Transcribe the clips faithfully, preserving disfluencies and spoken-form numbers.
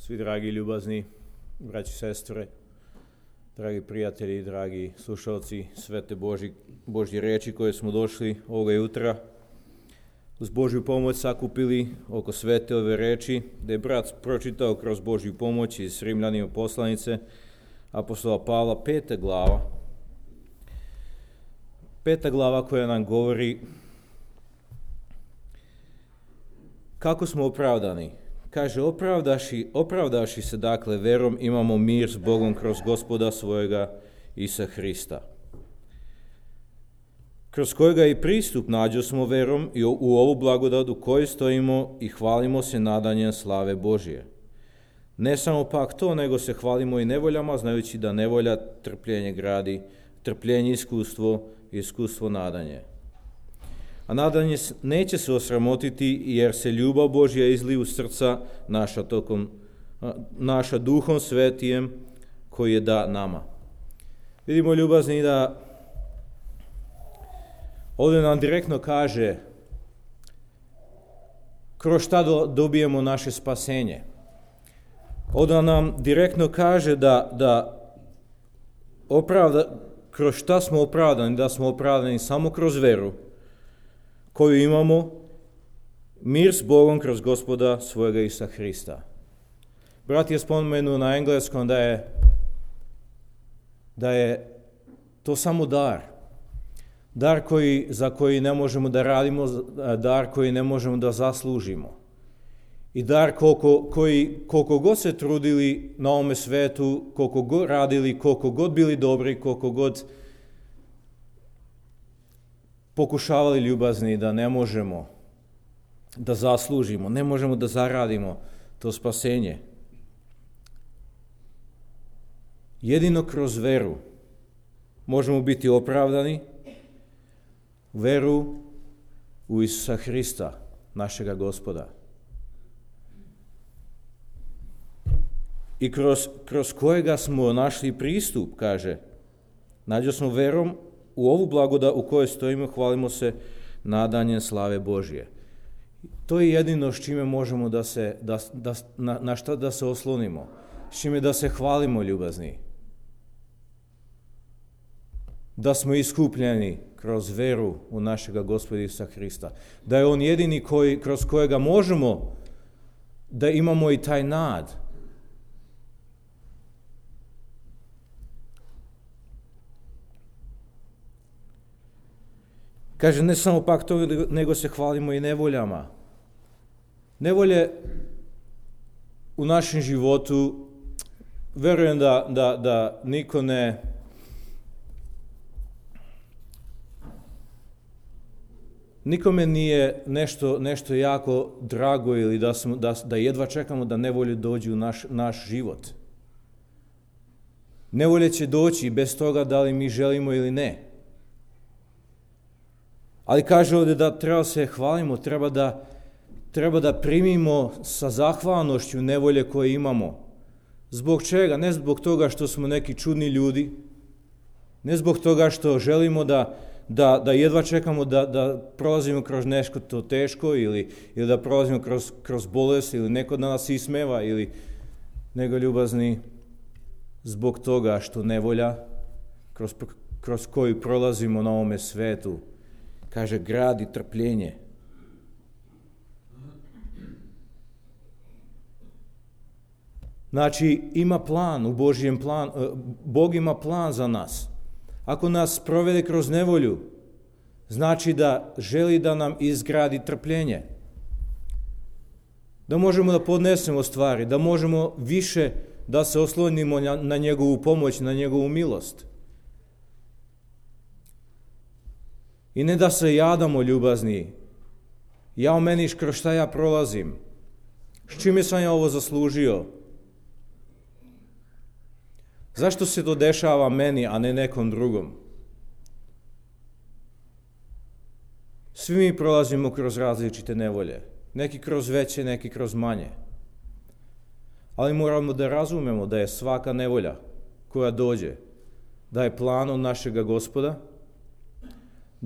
Svi dragi ljubazni braći i sestre, dragi prijatelji, dragi slušalci svete Božji, Božje reči koje smo došli ovoga jutra uz Božju pomoć sakupili oko svete ove reči, da je brat pročitao kroz Božju pomoć iz Rimljanima poslanice apostola Pavla, peta glava. Peta glava koja nam govori kako smo opravdani. Kaže, opravdaši, opravdaši se dakle verom imamo mir s Bogom kroz Gospoda svojega Isa Hrista, kroz kojega i pristup nađo smo verom i u ovu blagodat u kojoj stojimo i hvalimo se nadanjem slave Božije. Ne samo pak to, nego se hvalimo i nevoljama, znajući da nevolja trpljenje gradi, trpljenje iskustvo, iskustvo nadanje. A nadanje neće se osramotiti, jer se ljubav Božja izli u srca naša, tokom, naša duhom svetijem koji je da nama. Vidimo, ljubazni, da ovdje nam direktno kaže kroz šta dobijemo naše spasenje. Ovdje nam direktno kaže da, da opravda, kroz šta smo opravdani, da smo opravdani samo kroz veru koju imamo, mir s Bogom kroz Gospoda svojega Isa Hrista. Brat je spomenuo na engleskom da je, da je to samo dar. Dar koji, za koji ne možemo da radimo, dar koji ne možemo da zaslužimo. I dar koliko, koji, koliko god se trudili na ovome svetu, koliko god radili, koliko god bili dobri, koliko god pokušavali ljubazni, da ne možemo da zaslužimo, ne možemo da zaradimo to spasenje. Jedino kroz veru možemo biti opravdani, veru u Isusa Hrista, našega Gospoda. I kroz, kroz kojega smo našli pristup, kaže, nađo smo verom u ovu blagodat u kojoj stojimo, hvalimo se nadanjem slave Božje. To je jedino s čime možemo da se, da, da, na, na šta da se oslonimo, s čime da se hvalimo, ljubazni. Da smo iskupljeni kroz veru u našega Gospoda Isusa Hrista. Da je On jedini koji, kroz kojega možemo da imamo i taj nad. Kaže, ne samo pak to, nego se hvalimo i nevoljama. Nevolje u našem životu, verujem da, da, da niko ne nikome nije nešto, nešto jako drago ili da, smo, da, da jedva čekamo da nevolje dođu u naš, naš život. Nevolje će doći bez toga da li mi želimo ili ne. Ali kaže ovdje da treba se hvalimo, treba da, treba da primimo sa zahvalnošću nevolje koje imamo. Zbog čega? Ne zbog toga što smo neki čudni ljudi, ne zbog toga što želimo da, da, da jedva čekamo da, da prolazimo kroz nešto to teško ili, ili da prolazimo kroz, kroz bolest ili neko da nas ismeva, ili, nego, ljubazni, zbog toga što nevolja kroz, kroz koju prolazimo na ovome svetu, kaže, gradi trpljenje. Znači, ima plan u Božjem plan, Bog ima plan za nas. Ako nas provede kroz nevolju, znači da želi da nam izgradi trpljenje. Da možemo da podnesemo stvari, da možemo više da se oslonimo na, na njegovu pomoć, na njegovu milost. I ne da se jadamo, ljubazni, jao meni kroz šta ja prolazim, s čime sam ja ovo zaslužio, zašto se to dešava meni, a ne nekom drugom. Svi mi prolazimo kroz različite nevolje, neki kroz veće, neki kroz manje. Ali moramo da razumemo da je svaka nevolja koja dođe, da je planom našega Gospoda,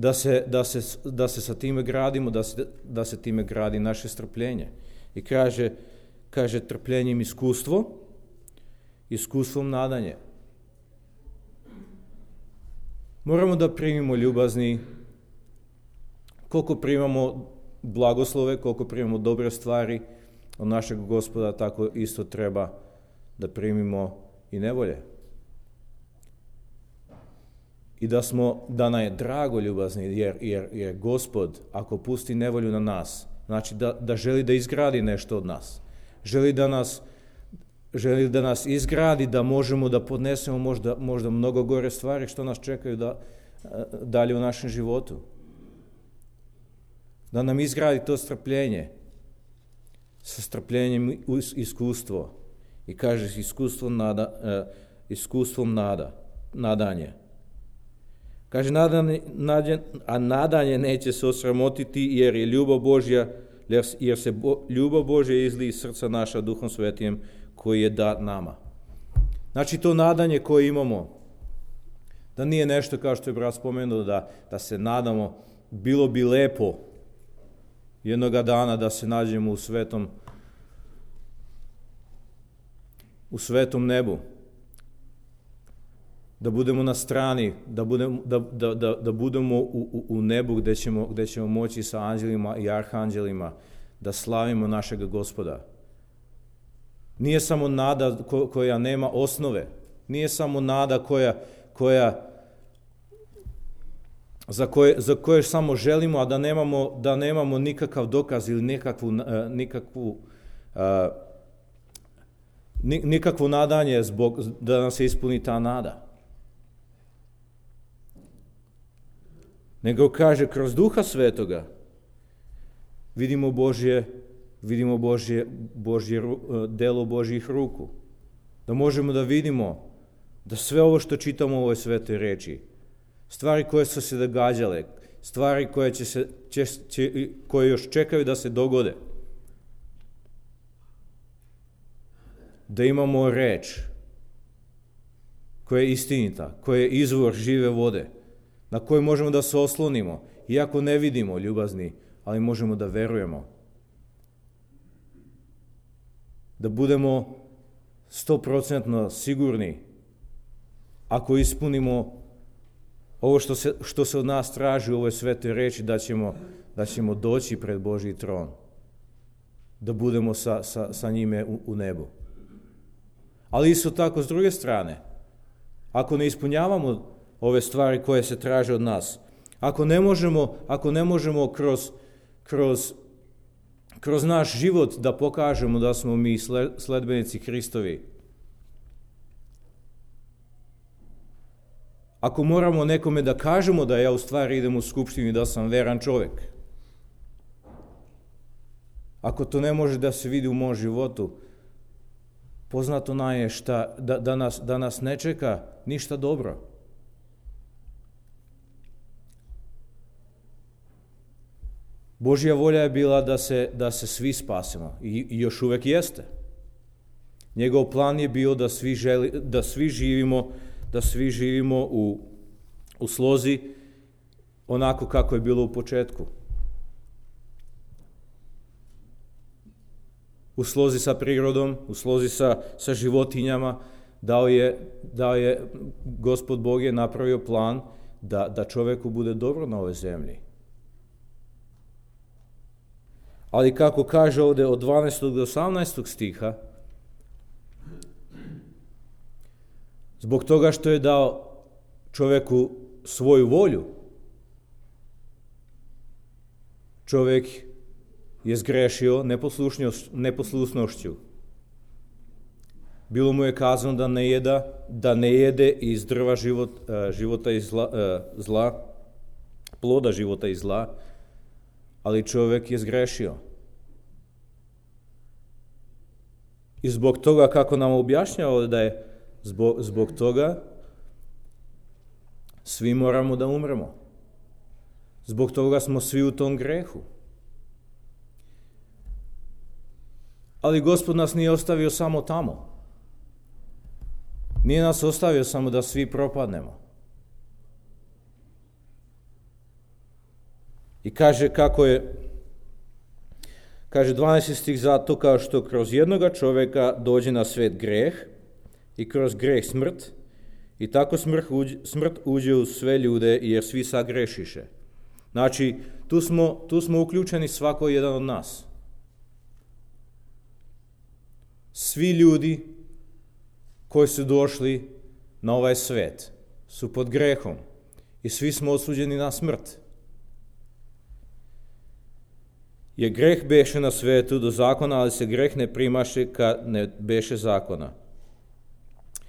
Da se, da, se, da se sa time gradimo, da se, da se time gradi naše strpljenje. I kaže, kaže trpljenjem iskustvo, iskustvom nadanje. Moramo da primimo ljubazni, koliko primamo blagoslove, koliko primamo dobre stvari od našeg Gospoda, tako isto treba da primimo i nevolje. I da smo, da nam je drago ljubazni, jer, jer, jer Gospod, ako pusti nevolju na nas, znači da, da želi da izgradi nešto od nas. Želi da nas, želi da nas izgradi, da možemo da podnesemo možda, možda mnogo gore stvari što nas čekaju da, dalje u našem životu. Da nam izgradi to strpljenje, sa strpljenjem iskustvo. I kaže iskustvo nada, uh, iskustvom nada, nadanje. Kaže, nadanje, nadanje, a nadanje neće se osramotiti, jer je ljubav Božja, jer se bo, ljubav Božja izli iz srca naša Duhom Svetijem koji je dat nama. Znači, to nadanje koje imamo, da nije nešto kao što je brat spomenuo, da, da se nadamo, bilo bi lepo jednoga dana da se nađemo u svetom u svetom nebu, da budemo na strani, da budemo, da, da, da, da budemo u, u, u nebu gde ćemo, gde ćemo moći sa anđelima i arhanđelima da slavimo našeg Gospoda. Nije samo nada ko, koja nema osnove, nije samo nada koja, koja za koje, za koje samo želimo, a da nemamo, da nemamo nikakav dokaz ili nikakvu, nikakvu uh, nikakvo nadanje zbog da nam se ispuni ta nada. Nego kaže, kroz Duha Svetoga vidimo Božje, vidimo Božje, Božje, delo Božjih ruku. Da možemo da vidimo da sve ovo što čitamo u ovoj svetoj reči, stvari koje su se događale, stvari koje, će se, će, će, koje još čekaju da se dogode, da imamo reč koja je istinita, koja je izvor žive vode, na koju možemo da se oslonimo, iako ne vidimo ljubazni, ali možemo da verujemo. Da budemo stoprocentno sigurni, ako ispunimo ovo što se, što se od nas traži u ovoj svetoj reči, da ćemo, da ćemo doći pred Božji tron, da budemo sa, sa, sa njime u, u nebu. Ali isto tako, s druge strane, ako ne ispunjavamo ove stvari koje se traže od nas, ako ne možemo, ako ne možemo kroz, kroz, kroz naš život da pokažemo da smo mi sledbenici Hristovi, ako moramo nekome da kažemo da ja u stvari idem u skupštinu i da sam veran čovjek, ako to ne može da se vidi u mom životu, poznato nam je šta, da, da, nas, da nas ne čeka ništa dobro. Božja volja je bila da se, da se svi spasemo i, i još uvek jeste. Njegov plan je bio da svi, želi, da svi živimo, da svi živimo u, u slozi onako kako je bilo u početku. U slozi sa prirodom, u slozi sa, sa životinjama, dao je, dao je, Gospod Bog je napravio plan da, da čoveku bude dobro na ovoj zemlji. Ali kako kaže ovde od dvanaestog do osamnaestog stiha, zbog toga što je dao čoveku svoju volju, čovek je zgrešio neposlušnošću. Bilo mu je kazano da ne jeda, da ne jede iz drva život, života i zla, zla, ploda života i zla, ali čovjek je zgrešio. I zbog toga, kako nam objašnjava da je zbog, zbog toga svi moramo da umremo. Zbog toga smo svi u tom grehu. Ali Gospod nas nije ostavio samo tamo. Nije nas ostavio samo da svi propadnemo. I kaže kako je Kaže dvanaesti stih, zato kao što kroz jednoga čovjeka dođe na svet greh i kroz greh smrt, i tako smrt uđe, smrt uđe u sve ljude jer svi sagrešiše. Znači, tu smo, tu smo uključeni svako jedan od nas. Svi ljudi koji su došli na ovaj svet su pod grehom i svi smo osuđeni na smrt. Jer greh beše na svetu do zakona, ali se greh ne primaše kad ne beše zakona.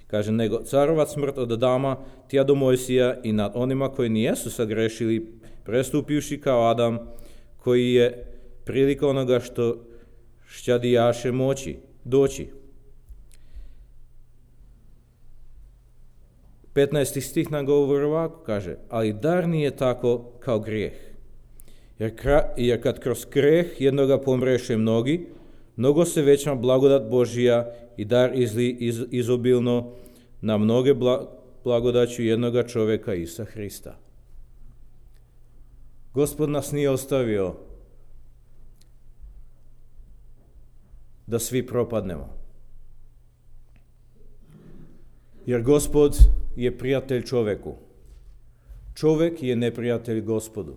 Kaže, nego carovat smrt od Adama tja do Mojsija i nad onima koji nijesu sagrešili, prestupivši kao Adam, koji je prilika onoga što šćadijaše moći, doći. petnaesti stih nam govori ovako, kaže, ali dar nije tako kao grijeh. Jer, kra, jer kad kroz greh jednoga pomreše mnogi, mnogo se veća blagodat Božija i dar izli iz, izobilno na mnoge bla, blagodaću jednoga čovjeka Isusa Hrista. Gospod nas nije ostavio da svi propadnemo. Jer Gospod je prijatelj čovjeku. Čovjek je neprijatelj Gospodu.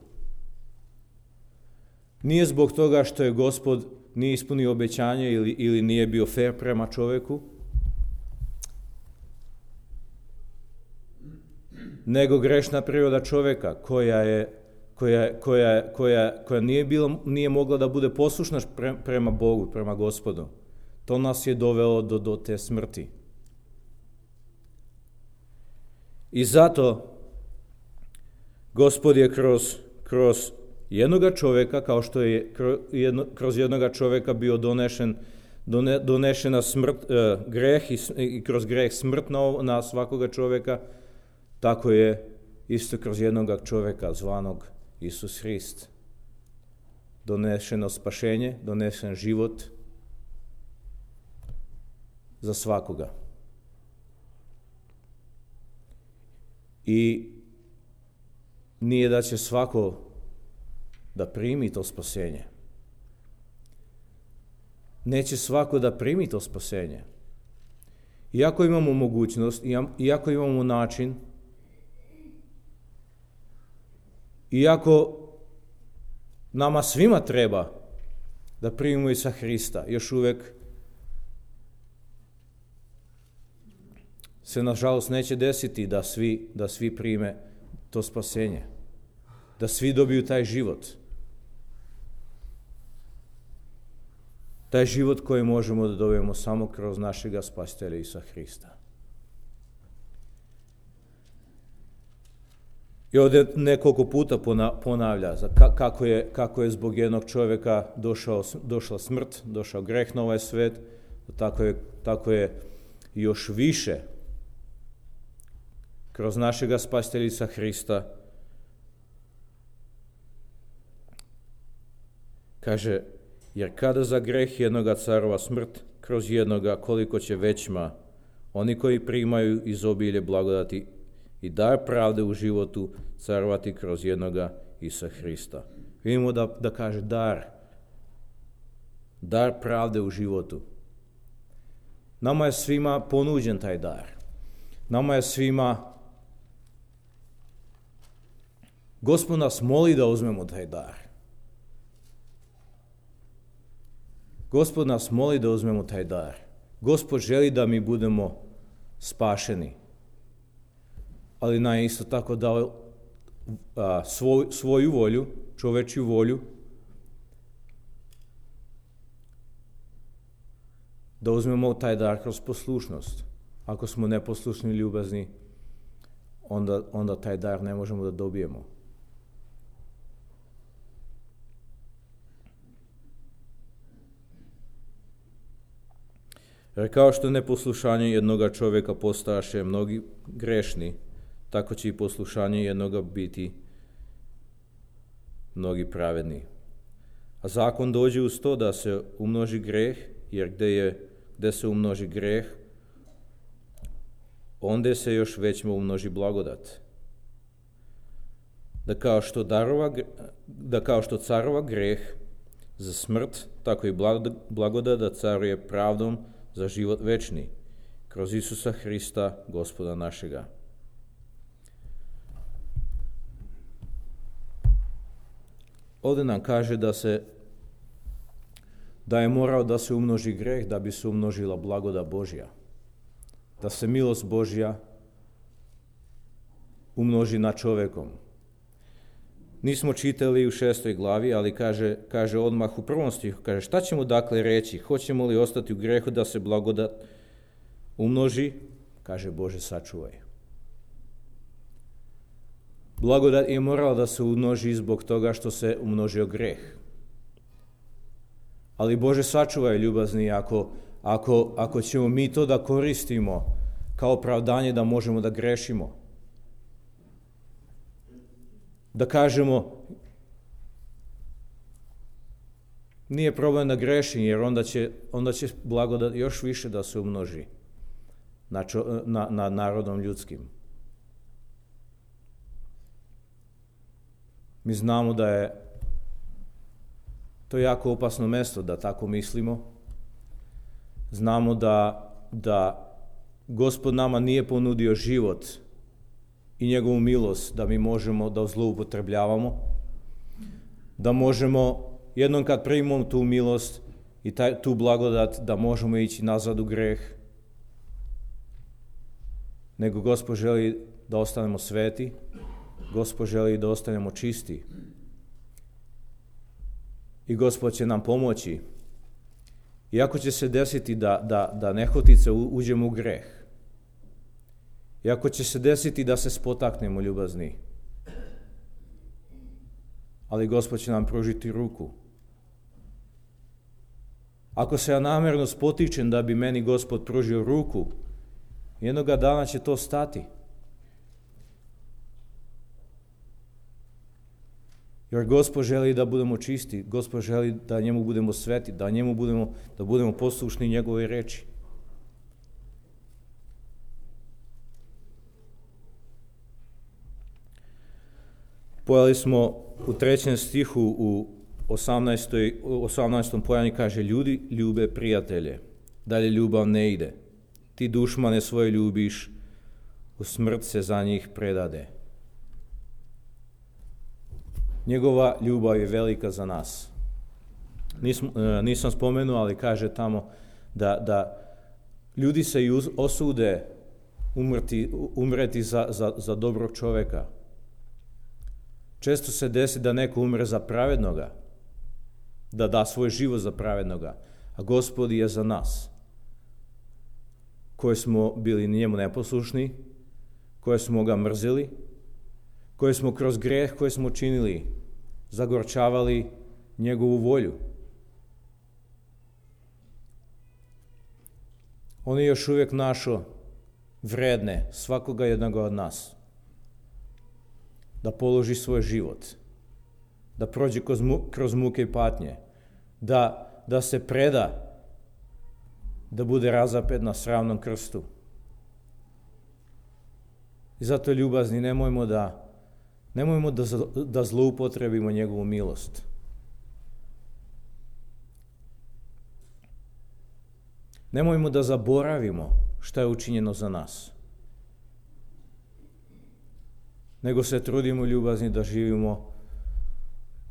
Nije zbog toga što je Gospod nije ispunio obećanje ili, ili nije bio fer prema čovjeku, nego grešna priroda čovjeka koja je koja, koja, koja, koja nije, bila, nije mogla da bude poslušna pre, prema Bogu, prema Gospodu. To nas je dovelo do, do te smrti. I zato Gospod je kroz, kroz jednoga čovjeka, kao što je kroz, jedno, kroz jednoga čovjeka bio donešen, done, donešena smrt, uh, greh i, i kroz greh smrt na, na svakoga čovjeka, tako je isto kroz jednoga čovjeka zvanog Isus Hrist. Donešeno spašenje, donesen život za svakoga. I nije da će svako da primi to spasenje. Neće svako da primi to spasenje. Iako imamo mogućnost, iako imamo način, iako nama svima treba da primimo Isusa Hrista, još uvijek se nažalost neće desiti da svi, da svi prime to spasenje, da svi dobiju taj život. Taj život koji možemo da dobijemo samo kroz našega spasitelja Isusa Hrista. I ovdje nekoliko puta ponavlja kako je, kako je zbog jednog čovjeka došao, došla smrt, došao greh na ovaj svet, tako je, tako je još više kroz našega spasitelja Isusa Hrista. Kaže, jer kada za greh jednoga carova smrt, kroz jednoga koliko će većma oni koji primaju izobilje blagodati i dar pravde u životu carovati kroz jednoga Isusa Hrista. Vidimo da, da kaže dar. Dar pravde u životu. Nama je svima ponuđen taj dar. Nama je svima... Gospod nas moli da uzmemo taj dar. Gospod nas moli da uzmemo taj dar. Gospod želi da mi budemo spašeni. Ali nam je isto tako dao a, svoj, svoju volju, čovečju volju, da uzmemo taj dar kroz poslušnost. Ako smo neposlušni i ljubazni, onda, onda taj dar ne možemo da dobijemo. Jer kao što neposlušanje jednoga čovjeka postaše mnogi grešni, tako će i poslušanje jednoga biti mnogi pravedni. A zakon dođe uz to da se umnoži greh, jer gdje, je, gdje se umnoži greh, onda se još većma umnoži blagodat. Da kao što, darova, da kao što carova greh za smrt, tako i blagodat da caruje pravdom za život večni, kroz Isusa Hrista, Gospoda našega. Ovdje nam kaže da se da je morao da se umnoži greh da bi se umnožila blagodat Božja. Da se milost Božja umnoži nad čovjekom. Nismo čitali u šestoj glavi, ali kaže, kaže odmah u prvom stihu, kaže šta ćemo dakle reći? Hoćemo li ostati u grehu da se blagodat umnoži? Kaže Bože sačuvaj. Blagodat je morala da se umnoži zbog toga što se umnožio greh. Ali Bože sačuvaj, ljubazni, ako, ako, ako ćemo mi to da koristimo kao opravdanje da možemo da grešimo. Da kažemo, nije problem da grešim, jer onda će, onda će blagodat još više da se umnoži na, čo, na, na narodom ljudskim. Mi znamo da je to jako opasno mesto da tako mislimo. Znamo da, da Gospod nama nije ponudio život i njegovu milost da mi možemo da zloupotrebljavamo, da možemo jednom kad primimo tu milost i taj, tu blagodat da možemo ići nazad u greh, nego Gospod želi da ostanemo sveti, Gospod želi da ostanemo čisti i Gospod će nam pomoći. Iako će se desiti da, da, da nehotice uđemo u greh, iako će se desiti da se spotaknemo, ljubazni, ali Gospod će nam pružiti ruku. Ako se ja namjerno spotičem da bi meni Gospod pružio ruku, jednoga dana će to stati. Jer Gospod želi da budemo čisti, Gospod želi da njemu budemo sveti, da njemu budemo, da budemo poslušni njegove reči. Pojeli smo u trećem stihu u osamnaestom pojanju kaže ljudi ljube prijatelje, dalje ljubav ne ide. Ti dušmane svoje ljubiš, u smrt se za njih predade. Njegova ljubav je velika za nas. Nisam, nisam spomenuo, ali kaže tamo da, da ljudi se i osude umreti, umreti za, za, za dobrog čovjeka. Često se desi da neko umre za pravednoga, da da svoj život za pravednoga, a Gospod je za nas, koji smo bili njemu neposlušni, koji smo ga mrzili, koji smo kroz greh koji smo činili zagorčavali njegovu volju. On je još uvijek našao vredne svakoga jednoga od nas da položi svoj život, da prođe kroz, mu, kroz muke i patnje, da, da se preda, da bude razapet na sravnom krstu. I zato, ljubazni, nemojmo da Nemojmo da, da zloupotrebimo njegovu milost. Nemojmo da zaboravimo šta je učinjeno za nas. Nego se trudimo, ljubazni, da živimo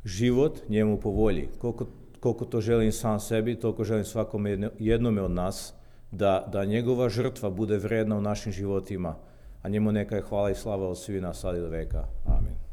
život njemu po volji. Koliko, koliko to želim sam sebi, toliko želim svakom jednome od nas, da, da njegova žrtva bude vredna u našim životima, a njemu neka je hvala i slava od svih nas sad i do veka. Amen.